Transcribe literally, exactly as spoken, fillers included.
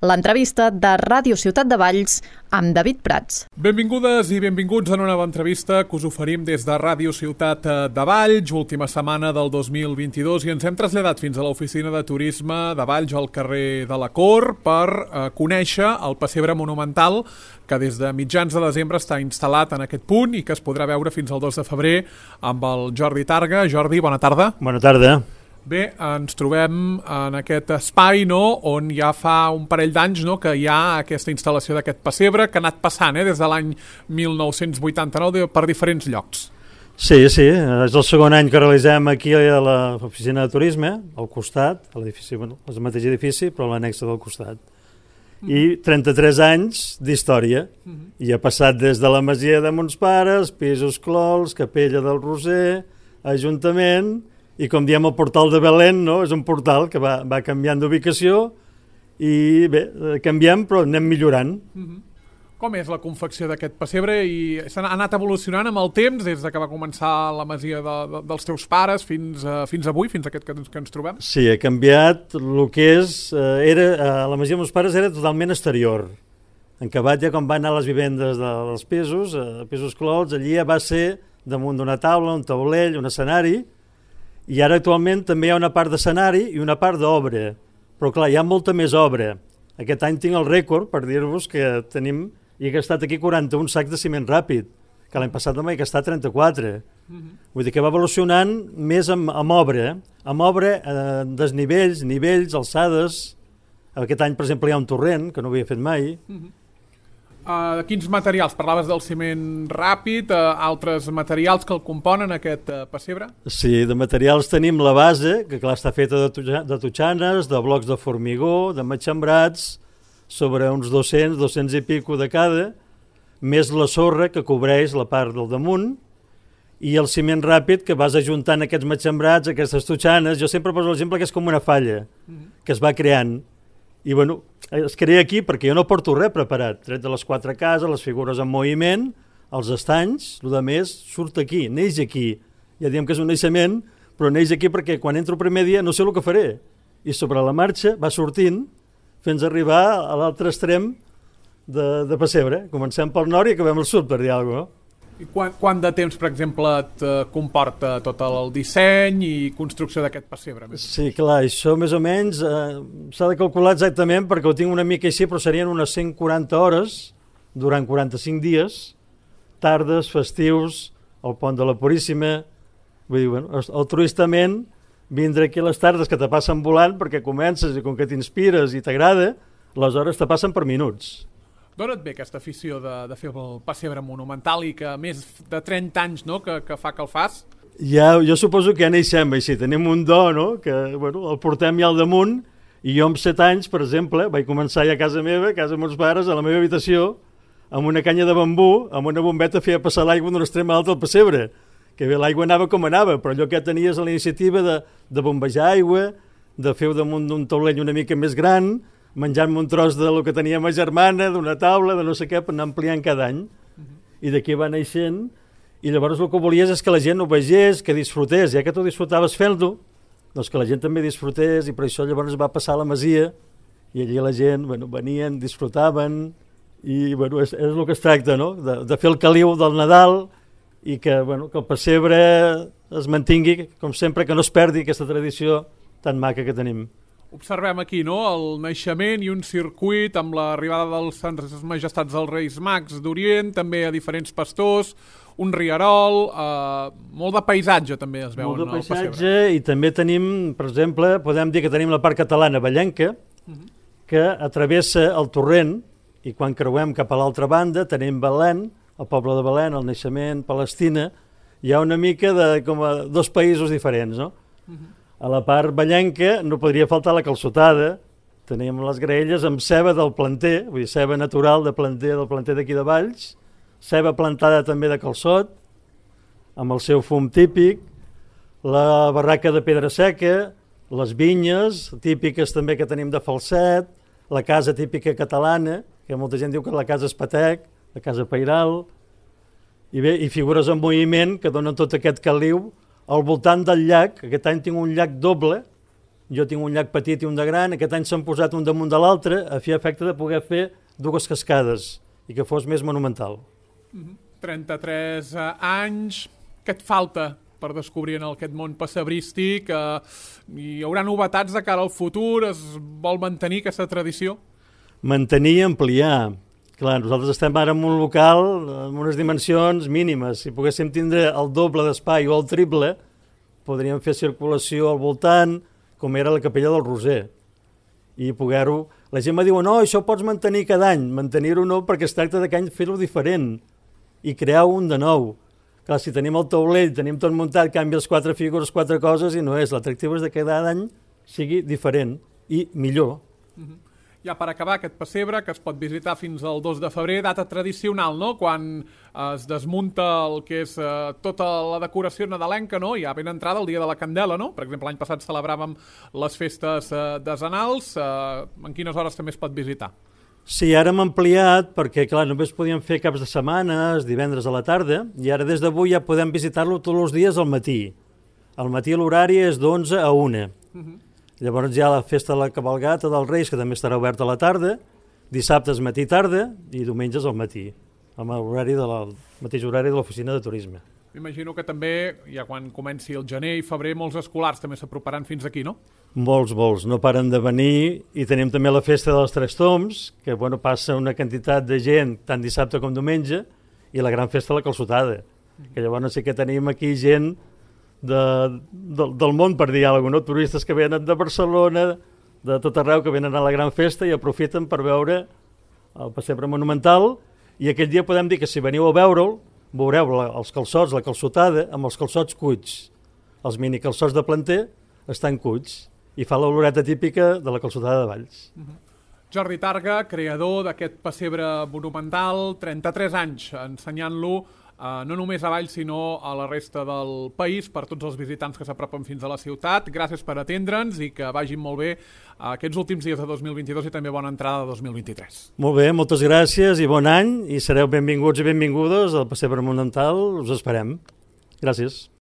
L'entrevista de Ràdio Ciutat de Valls amb David Prats. Benvingudes i benvinguts a una nova entrevista que us oferim des de Ràdio Ciutat de Valls, última setmana del dos mil vint-i-dos, i ens hem traslladat fins a l'oficina de turisme de Valls al carrer de la Cor per eh, conèixer el pessebre monumental que des de mitjans de desembre està instal·lat en aquest punt i que es podrà veure fins al dos de febrer amb el Jordi Targa. Jordi, bona tarda. Bona tarda. Bé, ens trobem en aquest espai, no?, on ja fa un parell d'anys, no?, que hi ha aquesta instal·lació d'aquest pessebre que ha anat passant eh, des de l'any mil nou-cents vuitanta-nou per diferents llocs. Sí, sí, és el segon any que realitzem aquí a l'oficina de turisme, al costat, a l'edifici, bueno, és el mateix edifici, però l'annexa del costat. I trenta-tres anys d'història. Mm-hmm. I ha passat des de la masia de Mons Pares, Pisos Clols, Capella del Roser, Ajuntament, i com diem el portal de Belén, no? És un portal que va, va canviant d'ubicació i bé, canviem però anem millorant. Mm-hmm. Com és la confecció d'aquest pessebre? I s'ha anat evolucionant amb el temps des de que va començar la masia de, de, dels teus pares fins, a, fins avui, fins a aquest que, que ens trobem? Sí, ha canviat el que és... Eh, era, eh, la masia de meus pares era totalment exterior. En acabat ja quan van anar a les vivendes de, dels pisos, eh, pisos Clots, allí ja va ser damunt d'una taula, un taulell, un escenari. I ara actualment també hi ha una part d'escenari i una part d'obra, però clar, hi ha molta més obra. Aquest any tinc el rècord per dir-vos que tenim, i he gastat aquí quaranta-un sacs de ciment ràpid, que l'any passat també he gastat trenta-quatre. Mm-hmm. Vull dir que va evolucionant més amb, amb obra, amb obra, eh, desnivells, nivells, alçades. Aquest any, per exemple, hi ha un torrent, que no havia fet mai. Mm-hmm. Uh, quins materials? Parlaves del ciment ràpid, uh, altres materials que el componen, aquest uh, pessebre? Sí, de materials tenim la base, que clar, està feta de, tuja, de totxanes, de blocs de formigó, de matxembrats, sobre uns dos-cents, dos-cents i pico de cada, més la sorra que cobreix la part del damunt, i el ciment ràpid que vas ajuntant aquests matxembrats, aquestes totxanes. Jo sempre poso l'exemple que és com una falla, mm-hmm. que es va creant. I bueno, es crea aquí perquè jo no porto res preparat, tret de les quatre cases, les figures en moviment, els estanys, el de més surt aquí, neix aquí. Ja diem que és un naixement, però neix aquí perquè quan entro el primer dia no sé el que faré. I sobre la marxa va sortint fins a arribar a l'altre extrem de, de pessebre. Comencem pel nord i acabem al sud, per dir alguna cosa. I quant, quant de temps, per exemple, et comporta tot el disseny i construcció d'aquest pessebre? Sí, clar, això més o menys eh, s'ha de calcular exactament perquè ho tinc una mica així, però serien unes cent quaranta hores durant quaranta-cinc dies, tardes, festius, el pont de la Puríssima. Vull dir, bueno, altruistament, vindre aquí a les tardes que te passen volant perquè comences i com que t'inspires i t'agrada, les hores te passen per minuts. D'on et ve aquesta afició de, de fer el pessebre monumental i que més de trenta anys, no?, que, que fa que el fas? Ja, jo suposo que ja neixem així, tenim un do, no?, que bueno, el portem ja al damunt, i jo amb set anys, per exemple, vaig començar ja a casa meva, a casa de meus pares, a la meva habitació, amb una canya de bambú, amb una bombeta feia passar l'aigua d'un extrem a l'altre al pessebre, que bé, l'aigua anava com anava, però allò que tenies a la iniciativa de, de bombejar aigua, de fer damunt d'un taulell una mica més gran, menjant-me un tros de lo que tenia ma germana, d'una taula, de no sé què, per anar ampliant cada any. Uh-huh. I d'aquí va naixent, i llavors el que volies és que la gent ho vegés, que disfrutés, ja que tu disfrutaves fent-ho, doncs que la gent també disfrutés, i per això llavors va passar a la masia, i allí la gent, bueno, venien, disfrutaven, i bueno, és, és el que es tracta, no?, de, de fer el caliu del Nadal, i que, bueno, que el pessebre es mantingui, com sempre, que no es perdi aquesta tradició tan maca que tenim. Observem aquí, no?, el naixement i un circuit amb l'arribada dels Sants Majestats dels Reis Mags d'Orient, també a diferents pastors, un rierol, eh, molt de paisatge també es veu en el pessebre. Molt de paisatge, i també tenim, per exemple, podem dir que tenim la part catalana vallenca, uh-huh. que atravessa el torrent, i quan creuem cap a l'altra banda tenim Belén, el poble de Belén, el naixement, Palestina, hi ha una mica de com a dos països diferents, no? Uh-huh. A la part vallenca no podria faltar la calçotada, teníem les graelles amb ceba del planter, vull dir, ceba natural de planter, del planter d'aquí de Valls, ceba plantada també de calçot, amb el seu fum típic, la barraca de pedra seca, les vinyes típiques també que tenim de Falset, la casa típica catalana, que molta gent diu que la casa Espatec, la casa Pairal, i bé, i figures en moviment que donen tot aquest caliu al voltant del llac. Aquest any tinc un llac doble, jo tinc un llac petit i un de gran, aquest any s'han posat un damunt de l'altre a fi efecte de poder fer dues cascades i que fos més monumental. Mm-hmm. trenta-tres anys, què et falta per descobrir en aquest món passebrístic? Eh, hi haurà novetats de cara al futur? Es vol mantenir aquesta tradició? Mantenir i ampliar. Clar, nosaltres estem ara en un local amb unes dimensions mínimes. Si poguéssim tindre el doble d'espai o el triple, podríem fer circulació al voltant, com era la capella del Roser. I poder-ho... La gent me diu, no, això ho pots mantenir cada any. Mantenir-ho no, perquè es tracta de que any fer-ho diferent i crear un de nou. Clar, si tenim el taulell, tenim tot muntat, canvies quatre figures, quatre coses i no és. L'atractiu és de que cada any sigui diferent i millor. Mm-hmm. Ja per acabar, aquest pessebre, que es pot visitar fins al dos de febrer, data tradicional, no? Quan es desmunta el que és eh, tota la decoració nadalenca, no? Ja ben entrada el dia de la Candela, no? Per exemple, l'any passat celebràvem les festes eh, desenals. Eh, en quines hores també es pot visitar? Sí, ara hem ampliat perquè, clar, només podíem fer caps de setmanes, divendres a la tarda, i ara des d'avui ja podem visitar-lo tots els dies al matí. Al matí l'horari és d'onze a una. Uh-huh. Llavors hi ha la festa de la cabalgata dels Reis, que també estarà oberta a la tarda, dissabtes matí i tarda i diumenges al matí, amb l'horari de la, el mateix horari de l'oficina de turisme. M'imagino que també, ja quan comenci el gener i febrer, molts escolars també s'aproparan fins aquí, no? Molts, molts, no paren de venir, i tenim també la festa dels Tres Tombs, que bueno, passa una quantitat de gent tant dissabte com diumenge, i la gran festa de la Calçotada, que llavors sí que tenim aquí gent de, de, del món, per dir alguna cosa, no? Turistes que venen de Barcelona, de tot arreu, que venen a la gran festa i aprofiten per veure el pessebre monumental, i aquell dia podem dir que si veniu a veure'l, veureu la, els calçots, la calçotada, amb els calçots cuits. Els mini calçots de planter estan cuits i fa l'oloreta típica de la calçotada de Valls. Uh-huh. Jordi Targa, creador d'aquest pessebre monumental, trenta-tres anys ensenyant-lo Uh, no només a Valls, sinó a la resta del país, per tots els visitants que s'apropen fins a la ciutat. Gràcies per atendre'ns i que vagin molt bé uh, aquests últims dies de dos mil vint-i-dos i també bona entrada de dos mil vint-i-tres. Molt bé, moltes gràcies i bon any, i sereu benvinguts i benvingudes al pessebre monumental, us esperem. Gràcies.